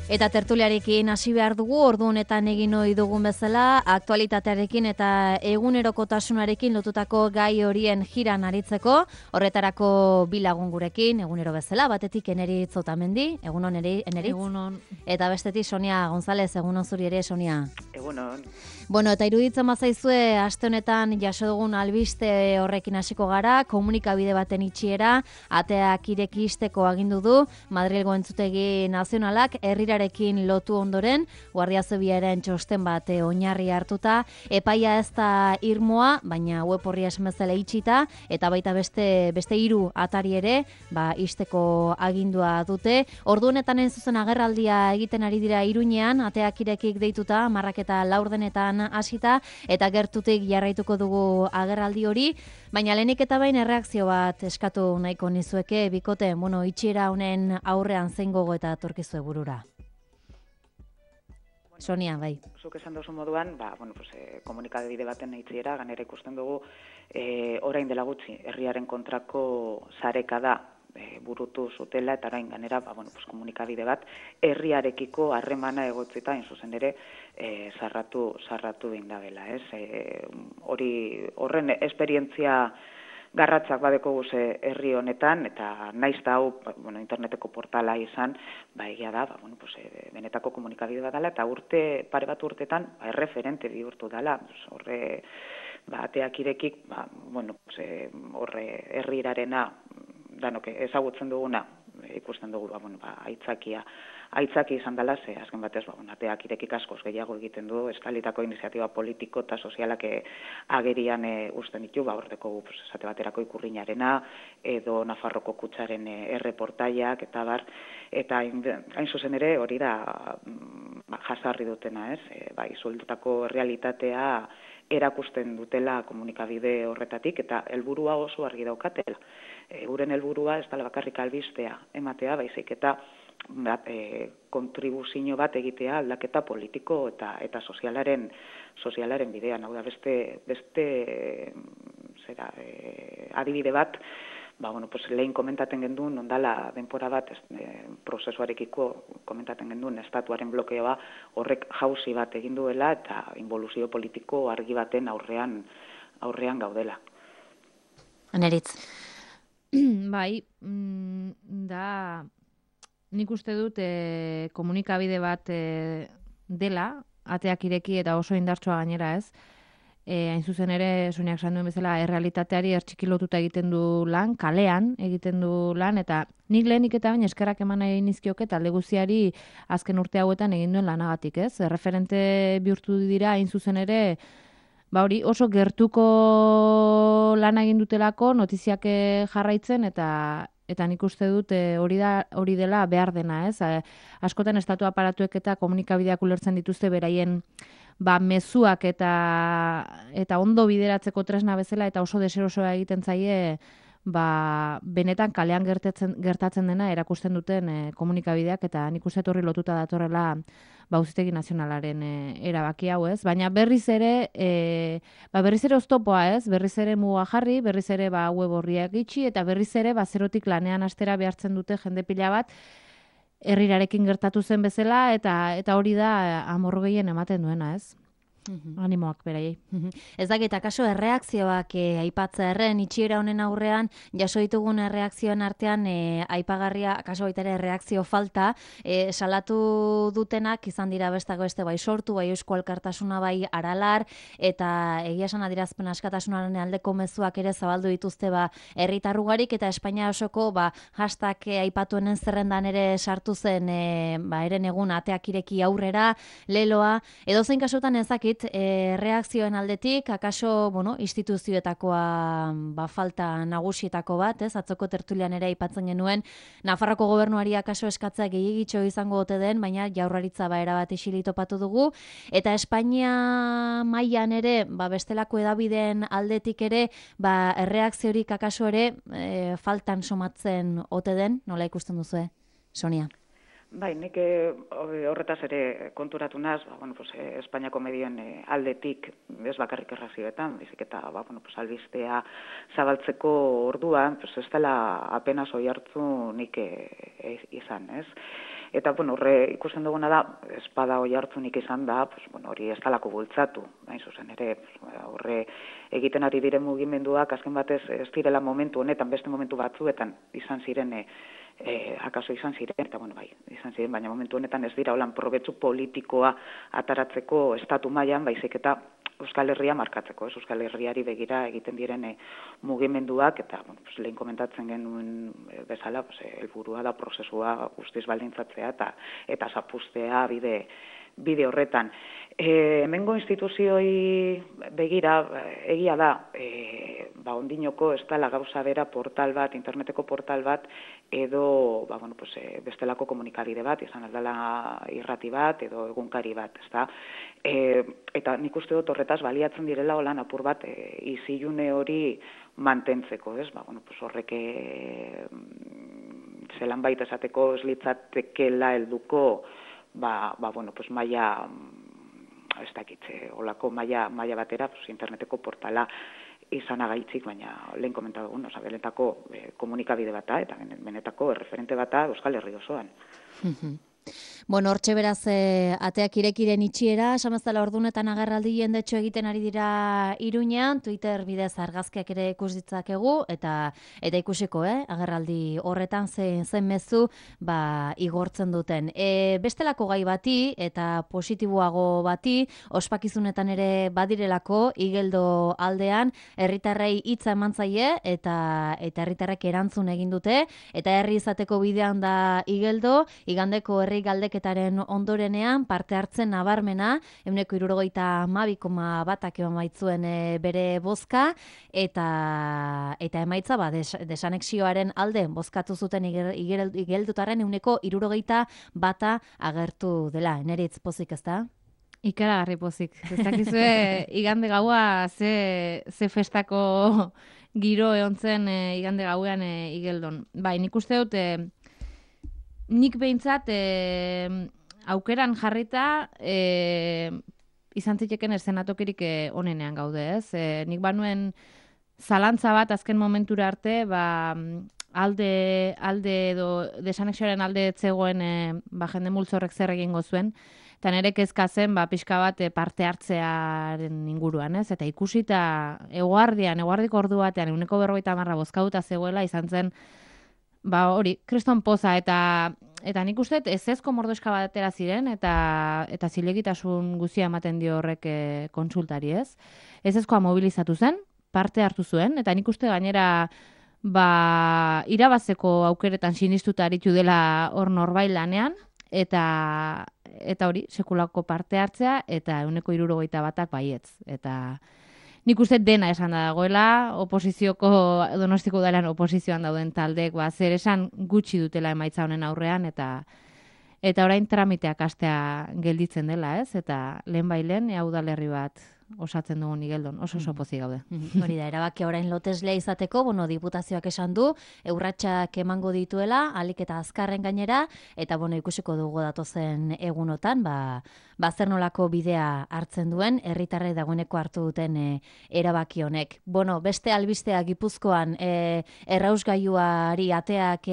Eta tertuliarekin hasi behar dugu, ordu honetan egin ohi dugun bezala, aktualitatearekin eta egunerokotasunarekin lotutako gai horien jiran aritzeko, horretarako bi lagun gurekin, egunero bezala, batetik Eneritz Otamendi, egunon Eneritz? Egunon. Eta bestetik Sonia González, egunon zuri ere, Sonia? Egunon. Bueno, eta iruditzen bazaizue, aste honetan jaso dugun albiste horrekin hasiko gara, komunikabide baten itxiera, ateak ireki isteko agindu du, Madrilgo Entzutegi Nazionalak, herrirarekin lotu ondoren, Guardia Zibilaren txosten bat oinarri hartuta, epaia ez da irmoa, baina web horri esmezela itxita, eta baita beste 3 atari ere, isteko agindua dute. Ordu honetan zuzen agerraldia egiten ari dira Iruñean, ateak irekik deituta, 10:04 hasita, eta gertutik jarraituko dugu agerraldi hori, baina lehenik eta bain erreakzio bat eskatu nahiko nizueke, bikote, itxiera honen aurrean zein gogo eta torkizue burura. Sonia, bai. Zuk esan duzu moduan, komunikabide baten itxiera, ganera ikusten dugu, orain dela gutxi, herriaren kontrako sareka da, burutu zutela, eta orain ganera, komunikabide bat, herriarekiko harremana egotzita, hain zuzen ere, sarratu indabela, ez? Horren esperientzia garratzak badeko guze herri honetan, eta naiz da hau, interneteko portala izan, egia da, benetako komunikabide bat dela, eta pare bat urtetan, erreferente bihurtu dela, horre, ateak irekik, horre herrirarena, danok ezagutzen duguna, ikusten dugu, aitzaki izan dela, ze azken batez, ateak irekik askoz gehiago egiten du, estalitako iniziatiba politiko eta sozialak agerian usten ditu, horteko esate baterako Ikurriñarena, edo Nafarroko Kutsaren erreportaiak, eta bar, eta hain zuzen ere hori da jasarri dutena, ez? Izuldutako realitatea erakusten dutela komunikabide horretatik, eta helburua oso argi daukatela. Euren helburua ez dela bakarrik albistea ematea, baizik eta kontribuzio bat egitea aldaketa politiko eta sozialaren bidean. Hau da, beste adibide bat, lehen komentaten genduen, ondala denpora bat prozesuarekiko komentaten genduen estatuaren blokeoa horrek jauzi bat egin duela eta involuzio politiko argi baten aurrean gaudela. Eneritz. Bai, nik uste dut komunikabide bat dela, ateak ireki eta oso indartsua gainera, ez? Hain zuzen ere, Soniak esan duen bezala, errealitateari ertxikilotuta egiten du lan, kalean egiten du lan, eta nik lehenik eta baina eskerrak eman nahi nizkioke talde guztiari azken urte hauetan egin duen lanagatik, ez? Referente bihurtu dira, hain zuzen ere, hori oso gertuko lan egin dutelako, notiziak jarraitzen, eta nik uste dut hori dela behar dena, ez? Askotan estatu aparatuek eta komunikabideak ulertzen dituzte beraien mezuak eta ondo bideratzeko tresna bezala, eta oso deserosoa egiten zaie benetan kalean gertatzen dena erakusten duten komunikabideak, eta nik uste horri lotuta datorrela Auzitegi Nazionalaren erabaki hau, ez? Baina berriz ere oztopoa, ez? Berriz ere muga jarri, berriz ere web horriak itxi, eta berriz ere zerotik lanean hastera behartzen dute jende pila bat herrirarekin gertatu zen bezala, eta hori da amorru gehien ematen duena, ez? Animoak beraiei. Ez dakit, akaso erreakzioak aipatzea erren, itxiera honen aurrean, jaso ditugun erreakzioen artean aipagarria, akaso baita ere erreakzio falta, salatu dutenak izan dira bestako bai sortu, bai Eusko Alkartasuna, bai Aralar, eta egia esan adierazpen askatasunaren aldeko mezuak ere zabaldu dituzte herritarrugarik, eta Espainia osoko hashtag aipatuenen zerrendan ere sartu zen eren egun ateak ireki aurrera, leloa, edozein kasutan ezakit, reakzioen aldetik, akaso, instituzioetakoa falta nagusietako bat, ez? Atzoko tertulian ere aipatzen genuen, Nafarroko gobernuari akaso eskatzea gehiagitxo izango ote den, baina Jaurlaritza erabat isili topatu dugu, eta Espainia mailan ere, bestelako edabideen aldetik ere, erreakziorik akaso ere faltan somatzen ote den, nola ikusten duzue, Sonia? Bai, nik horretaz ere konturatu naz, Espainiako medioen aldetik, ez bakarrik errazioetan, bizik eta albistea zabaltzeko orduan, ez dela apenas oi hartzu nik izan, ez? Eta, bueno, horre ikusten duguna da, espada hoi hartzunik izan da, pues, bueno, hori ez dalako bultzatu, hain zuzen ere, horre egiten ari diren mugimenduak, azken batez ez direla momentu honetan, beste momentu batzuetan izan ziren, akaso izan ziren, eta bueno, bai, izan ziren, baina momentu honetan ez dira holan probetsu politikoa ataratzeko estatu mailan, baizik eta Euskal Herria markatzeko, Euskal Herriari begira egiten diren mugimenduak, eta bueno, pues, lehen komentatzen genuen bezala, pues, helburua da prozesua guztiz baldintzatzea eta zapustea bide horretan. Hemengo instituzioi begira, egia da, ondinoko ez dela gauza bera portal bat, interneteko portal bat, edo bueno, pues, bestelako komunikabide bat, izan aldala irrati bat, edo egunkari bat, ezta? Eta nik uste dut horretaz baliatzen direla holan apur bat izilune hori mantentzeko, ez? Bueno, pues, horrek zelan baita esateko ez litzatekela helduko bueno, pues maila, ez dakitze, holako maila batera, pues, interneteko portala izanagaitzik, baina lehen komentatu dugun, benetako komunikabide bata, eta benetako erreferente bata Euskal Herri osoan. Bueno, hortxe beraz, ateak irekiren itxiera, esamaztala ordunetan agerraldi jendetxo egiten ari dira Iruñean, Twitter bidez argazkiak ere ikus ditzakegu, eta ikusiko, agerraldi horretan zen mezu, igortzen duten. Bestelako gai bati, eta positiboago bati, ospakizunetan ere badirelako, Igeldo aldean, herritarrei hitza eman zaie, eta herritarrek erantzun egin dute, eta herri izateko bidean da Igeldo, igandeko herri galdeketaren ondorenean parte hartzen nabarmena, 72,2 eman baitzuen bere bozka, eta emaitza desanexioaren alde bozkatu zuten Igeldotarren 71 agertu dela. Neritz pozik, ez da? Ikaragarri pozik. Ez dakizue igande gaua ze festako giro egon zen igande gauean Igeldon. Bai, nik uste dut nik behintzat aukeran jarrita izan zitekeen eszenatokirik onenean gaude, ez? Nik banuen zalantza bat azken momentura arte, alde edo desanexioaren alde etzegoen jende multzorrek zer egingo zuen, eta nire kezka zen pixka bat parte hartzearen inguruan, ez? Eta ikusita eguardiko ordu batean 40% bozkatuta zegoela izan zen hori, kriston poza, eta nik uste ezezko mordoska bat atera ziren, eta zilegitasun guzia ematen dio horrek kontsultari, ez? Ezezkoa mobilizatu zen, parte hartu zuen, eta nik uste gainera irabazeko aukeretan sinistuta aritu dela hor norbait lanean, eta hori, sekulako parte hartzea, eta 71% baietz, eta nik uste dena esan da dagoela, oposizioko, Donostiko udalan oposizioan dauden taldek, zer esan gutxi dutela emaitza honen aurrean, eta orain tramiteak astea gelditzen dela, ez? Eta lehen udalerri bat osatzen dugun Igeldon, oso pozik gaude. Hori da, erabakia orain loteslea izateko, diputazioak esan du, urratsak emango dituela, ahalik eta azkarren gainera, eta ikusiko dugu datozen egunotan, zer nolako bidea hartzen duen, herritarrek dagoeneko hartu duten erabaki honek. Beste albistea Gipuzkoan errausgailuari ateak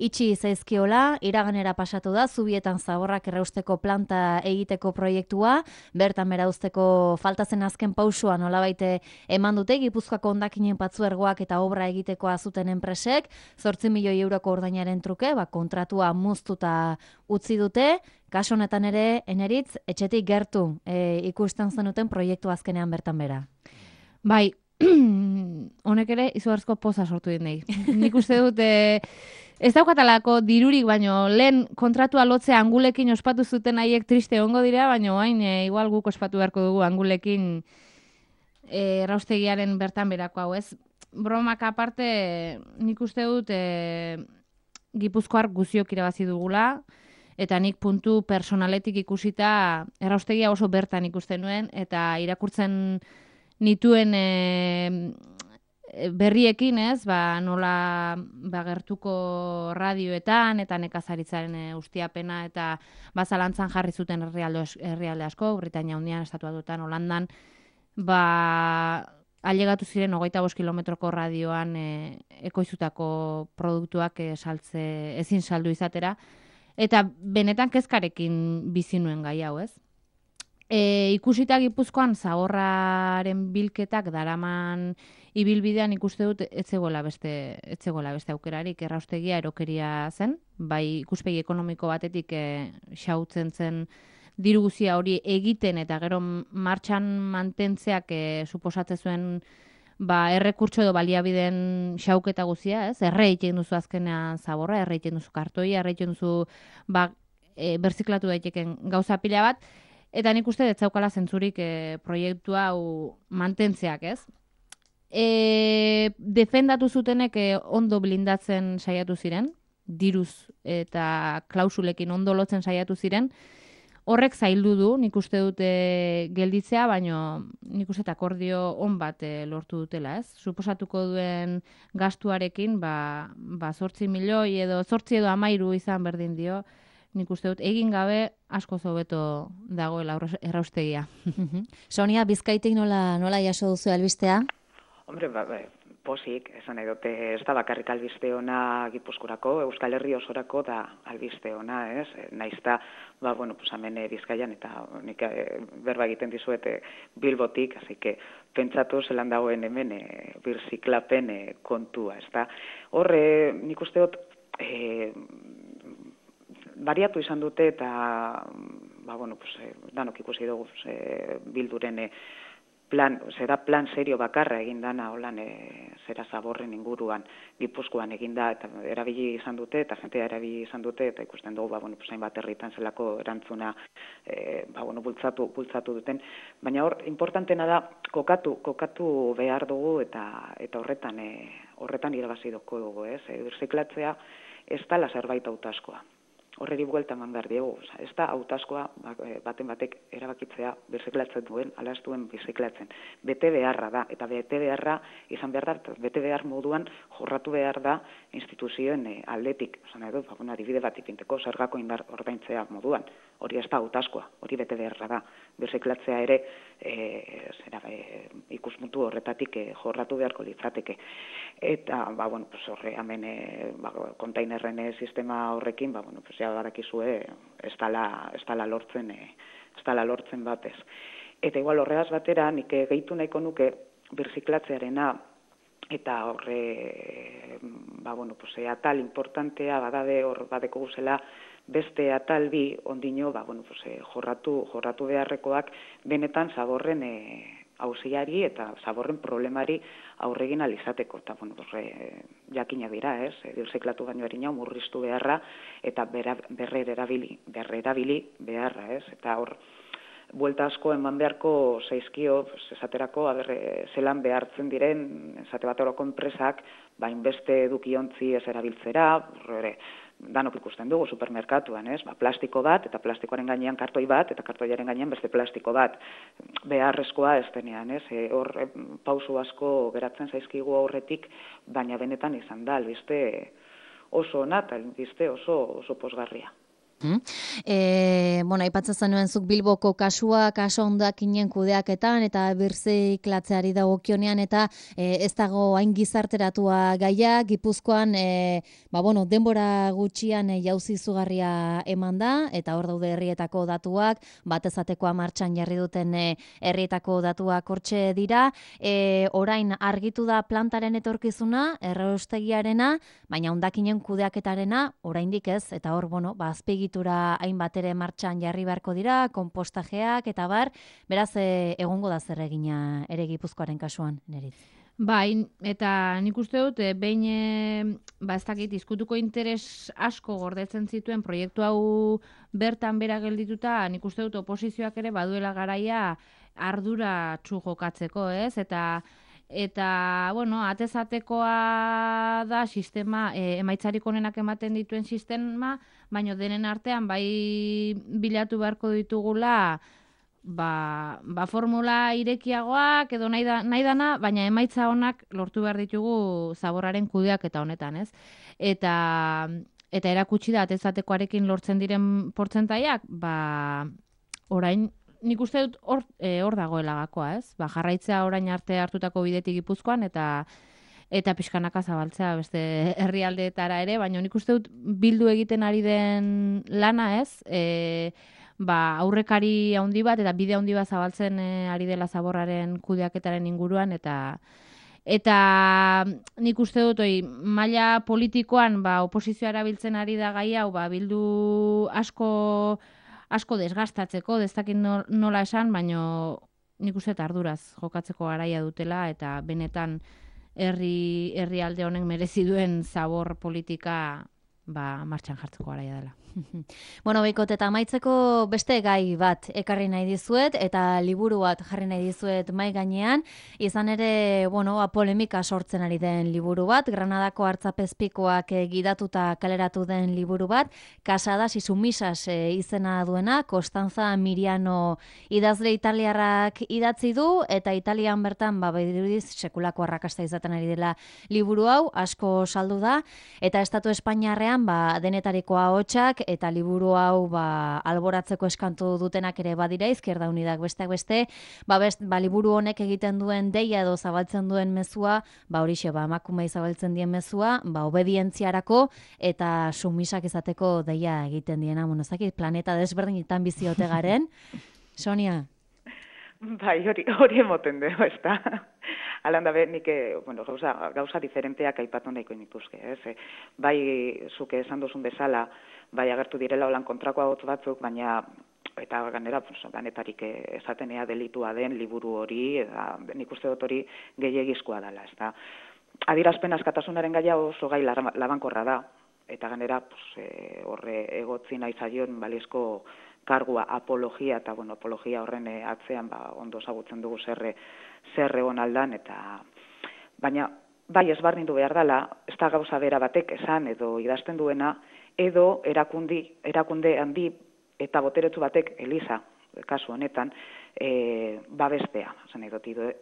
itxi zaizkiola, iraganera pasatu da, Zubietan zaborrak errausteko planta egiteko proiektua, bertan bera uzteko faltazen azken pausua nolabait eman dute, Gipuzkoako hondakinen patzuergoak eta obra egitekoa zuten enpresek, 8 milioi euroko ordainaren truke, kontratua muztuta utzi dute, kaso honetan ere, Eneritz, etxetik gertu ikusten zenuten proiektu azkenean bertan bera. Bai, honek ere izugarrizko poza sortu dinei. Nik uste dut ez daukatalako dirurik, baino lehen kontratua lotzea Angulekin ospatu zuten haiek triste ongo dira, baino hain igual guk ospatu beharko dugu Angulekin erraustegiaren bertan berako hau, ez? Bromak aparte, nik uste dut Gipuzkoar guziok irabazi dugula, eta nik puntu personaletik ikusita erraustegia oso bertan ikusten nuen, eta irakurtzen nituen berriekin, ez, nola gertuko radioetan eta nekazaritzaren ustiapena eta zalantzan jarri zuten herrialde asko, Britainia Handian, Estatu Batuetan, Holandan, ailegatu ziren 25 kilometroko radioan ekoizutako produktuak ezin saldu izatera, Eta benetan kezkarekin bizi nuen gai hau, ez? Ikusita Gipuzkoan zaborraren bilketak daraman ibilbidean ikuste dut ez zegoela beste aukerarik, erraustegia erokeria zen, bai ikuspegi ekonomiko batetik xautzen zen diru guztia hori egiten eta gero martxan mantentzeak suposatzen zuen errekurtso edo baliabideen xauketa guztia, ez? Erre egiten duzu azkenean zaborra, erre egiten duzu kartoia, erre egiten duzu berziklatu daiteken gauza pila bat, eta nik uste dut zaukala zentzurik proiektu hau mantentzeak, ez? Defendatu zutenek ondo blindatzen saiatu ziren, diruz eta klausulekin ondo lotzen saiatu ziren, horrek zaildu du, nik uste dute gelditzea, baino nik uste akordio on bat lortu dutela, ez? Suposatuko duen gastuarekin, 8 milioi edo 8 edo 13 izan berdin dio, nik uste dut egin gabe asko hobeto dagoela erraustegia. Sonia, Bizkaitik nola jaso duzu albistea? Hombre, posik, esan nahi dute, ez da bakarrik albiste ona Gipuzkorako, Euskal Herri osorako da albiste ona, ez? Naizta, hemen Bizkaian, eta nik berba egiten dizuet Bilbotik, así que pentsatu zelan dagoen hemen birziklapen kontua, ez da? Horre, nik uste dut, bariatu izan dute eta danok ikusi dugu Bilduren plan serio bakarra egin dana holan zera zaborren inguruan Gipuzkoan eginda eta erabili izan dute eta jentea erabili izan dute eta ikusten dugu hainbat herritan zelako erantzuna bultzatu duten, baina hor importantena da kokatu behar dugu eta horretan irabazidoko dugu, ez? Birziklatzea ez da zerbait hautazkoa. Horreri buelta eman behar diegu. Ez da hautazkoa baten batek erabakitzea birziklatzen duen, ala ez duen birziklatzen. Bete beharra da, eta bete beharra izan behar da, bete behar moduan jorratu behar da instituzioen aldetik. Zan edo, adibide bat ipinteko zergako indar ordaintzea moduan. Hori ez da hautazkoa, hori bete beharra da. Birziklatzea ere ikuspuntu horretatik jorratu beharko litzateke. Eta, horre, hemen kontainerren sistema horrekin, badakizue ez dala lortzen batez. Eta igual horregaz batera, nik gehitu nahiko nuke birziklatzearena eta horre, atal importantea badade hor badeko guzela beste atal bi ondino, jorratu beharrekoak benetan zaborren auziari eta zaborren problemari aurregin alizateko. Eta, jakina dira, ez? Birziklatu baino harina murriztu beharra eta berrerabili beharra, ez? Eta hor, buelta asko eman beharko zaizkio, esaterako, zelan behartzen diren, esate bat horoko enpresak, beste edukiontzi ez erabiltzera, danok ikusten dugu supermerkatuan, ez? Plastiko bat, eta plastikoaren gainean kartoi bat, eta kartoiaren gainean beste plastiko bat. Beharrezkoa ez denean, ez? Hor pausu asko geratzen zaizkigu aurretik, baina benetan izan da, albiste oso ona, eta albiste oso posgarria. Aipatzen zenuen zuk Bilboko kasua, kaso hondakinen kudeaketan eta birziklatzeari dagokionean eta ez dago hain gizarteratua gaia, Gipuzkoan denbora gutxian jauzi izugarria eman da eta hor daude herrietako datuak, batezatekoa martxan jarri duten herrietako datuak hortxe dira, orain argitu da plantaren etorkizuna, erraustegiarena, baina hondakinen kudeaketarena oraindik ez, eta hor azpegi hainbat ere martxan jarri beharko dira, konpostajeak eta beraz egongo da zer egina ere Gipuzkoaren kasuan, Neritz. Bai, eta nik uste dut, behin ez dakit izkutuko interes asko gordetzen zituen proiektu hau bertan bera geldituta, nik uste dut oposizioak ere baduela garaia ardura jokatzeko, ez? Eta atezatekoa da sistema, emaitzarik onenak ematen dituen sistema, baina denen artean bai bilatu beharko ditugula formula irekiagoak edo nahi dana, baina emaitza onak lortu behar ditugu zaborraren kudeak eta honetan, ez? Eta erakutsi da atezatekoarekin lortzen diren portzentaiak, orain nik uste dut hor dagoela gakoa, ez? Jarraitzea orain arte hartutako bidetik Gipuzkoan eta eta pixkanaka zabaltzea beste herrialdeetara ere, baina nik uste dut bildu egiten ari den lana ez, aurrekari handi bat eta bide handi bat zabaltzen ari dela zaborraren kudeaketaren inguruan eta nik uste dut maila politikoan oposizioa erabiltzen ari da gai hau bildu asko desgastatzeko, ez dakit nola esan, baina nik uste arduraz jokatzeko garaia dutela eta benetan herrialde honek merezi duen zabor politika martxan jartzeko garaia dela. Bueno, Beikot, eta amaitzeko beste gai bat ekarri nahi dizuet, eta liburu bat jarri nahi dizuet mai gainean, izan ere, polemika sortzen ari den liburu bat, Granadako Artzapezpikoak gidatuta kaleratu den liburu bat, Casadas y sumisas izena duena, Costanza Miriano idazle italiarrak idatzi du, eta Italian bertan, bedirudiz, sekulako arrakasta izaten ari dela liburu hau, asko saldu da, eta Estatu Espainiarrean, denetariko ahotsak, eta liburu hau alboratzeko eskantu dutenak ere badira, Izquierda Unidak besteak beste, liburu honek egiten duen deia edo zabaltzen duen mezua, horixe, emakumei zabaltzen dien mezua, obedientziarako eta sumisak izateko deia egiten diena, ezakit, planeta desberdinetan biziote garen. Sonia? Bai, hori emoten dugu, ez da. Alan da, nik, gauza diferenteak aipatu nahiko nituzke, ez? Bai, zuke esan duzun bezala, bai agertu direla holan kontrako ahots batzuk, baina eta ganera, ganetarik esatenea delitua den liburu hori, eta nik uste dut hori gehiegizkoa dela, ez da. Adierazpen askatasunaren gaia oso gai labankorra da, eta ganera, horre egotzi nahi zaion balizko kargua apologia, eta apologia horren atzean ondo ezagutzen dugu zer egon aldan, eta baina bai ezberdindu behar dela, ez da gauza bera batek esan edo idazten duena, edo erakunde handi eta boteretsu batek, Eliza, kasu honetan, babestea,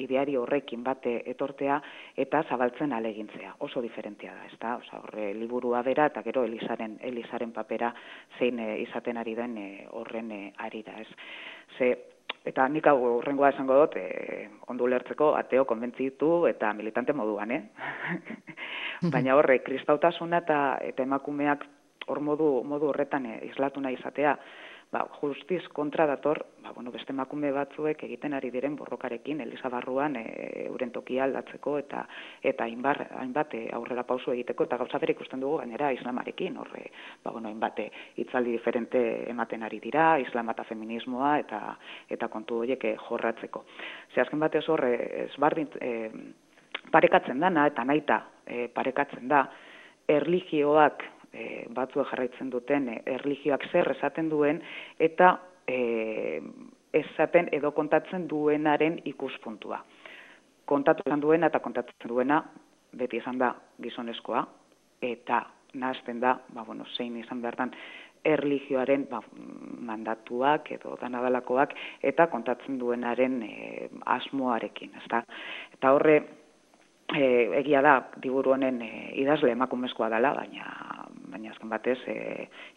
ideari horrekin bate etortea eta zabaltzen alegintzea. Oso diferentea da, ez da? Horre liburua bera eta gero Elizaren papera zein izaten ari den horren ari da, ez? Eta nik hau horrengoa esango dut, ondo ulertzeko ateo konbentzitu eta militante moduan, Baina horre, kristautasuna eta emakumeak hor modu horretan islatu nahi izatea, justiz kontra dator, beste emakume batzuek egiten ari diren borrokarekin, Eliza barruan euren tokia aldatzeko eta hainbat aurrera pauso egiteko, eta gauza bere ikusten dugu gainera islamarekin, horre, hainbat hitzaldi diferente ematen ari dira, islam eta feminismoa eta kontu horiek jorratzeko. Azken batez horre, parekatzen dana eta nahita parekatzen da, erlijioak batzuek jarraitzen duten erlijioak zer esaten duen eta esaten edo kontatzen duenaren ikuspuntua. Kontatzen duena eta kontatzen duena beti izan da gizonezkoa eta nahazten da, zein izan behartan erlijioaren mandatuak edo danadalakoak eta kontatzen duenaren asmoarekin, ezta? Eta horre egia da liburu honen idazle emakumezkoa dela, baina azken batez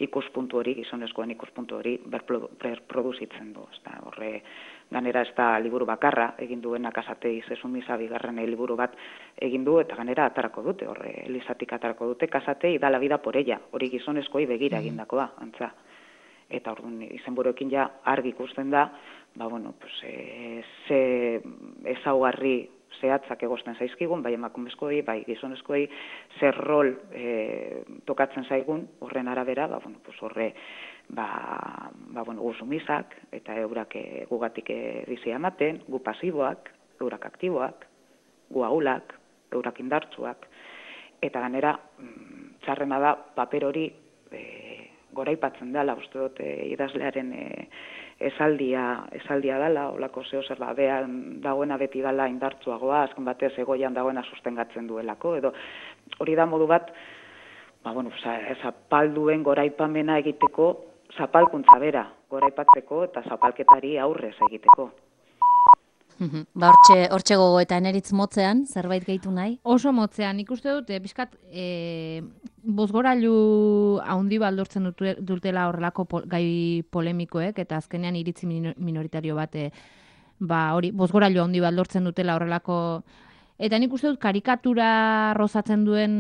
ikuspuntu hori, gizonezkoen ikuspuntu hori berproduzitzen du. Horre, ganera ez da liburu bakarra egin duena Kasate izesumisa bigarren liburu bat egin du, eta ganera atarako dute, horre, Elizatik atarako dute, Kasate y da la vida por ella, hori gizonezkoi begira egindakoa, antza. Eta orduan izenburuekin ja argi ikusten da, ze ezaugarri zehatzak egosten zaizkigun, bai emakumezkoei, bai gizonezkoei, zer rol tokatzen zaigun, horren arabera, horre, gu sumizak, eta eurak gugatik bizia ematen, gu pasiboak, eurak aktiboak, gu ahulak, eurak indartsuak, eta ganera, txarrena da, paper hori goraipatzen dela, uste dut idazlearen esaldia dela, olako zer behan dagoena beti dela indartsuagoa, azken batez egoian dagoena sustengatzen duelako, edo hori da modu bat, zapalduen goraipamena egiteko, zapalkuntza bera goraipatzeko eta zapalketari aurrez egiteko. Hortxe gogo eta eneritz motzean, zerbait gehitu nahi? Oso motzean, ikuste dut, bizkat, bozgorailu haundi baldortzen dutela horrelako gai polemikoek, eta azkenean iritzi minoritario bat, hori, bozgorailu haundi baldortzen dutela horrelako Eta nik uste dut karikatura rozatzen duen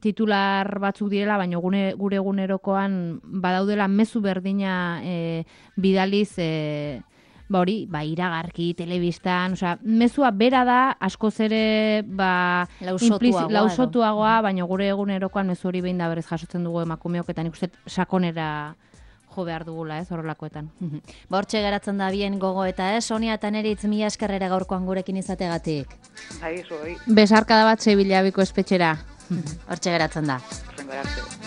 titular batzuk direla, baina gure egunerokoan badaudela mezu berdina bidaliz iragarki, telebistan, mezua bera da, askoz ere lausotuagoa, baina gure egunerokoan mezu hori behin da berez jasotzen dugu emakumeok, eta nik uste sakonera jo behar dugula, horrelakoetan. Hortxe geratzen da bien gogo eta Sonia eta Neritz, mila eskerrera gaurkoan gurekin izategatik. Aizu, Besarkada bat Sevilabiko espetxera. Hortxe geratzen da. Geratzen.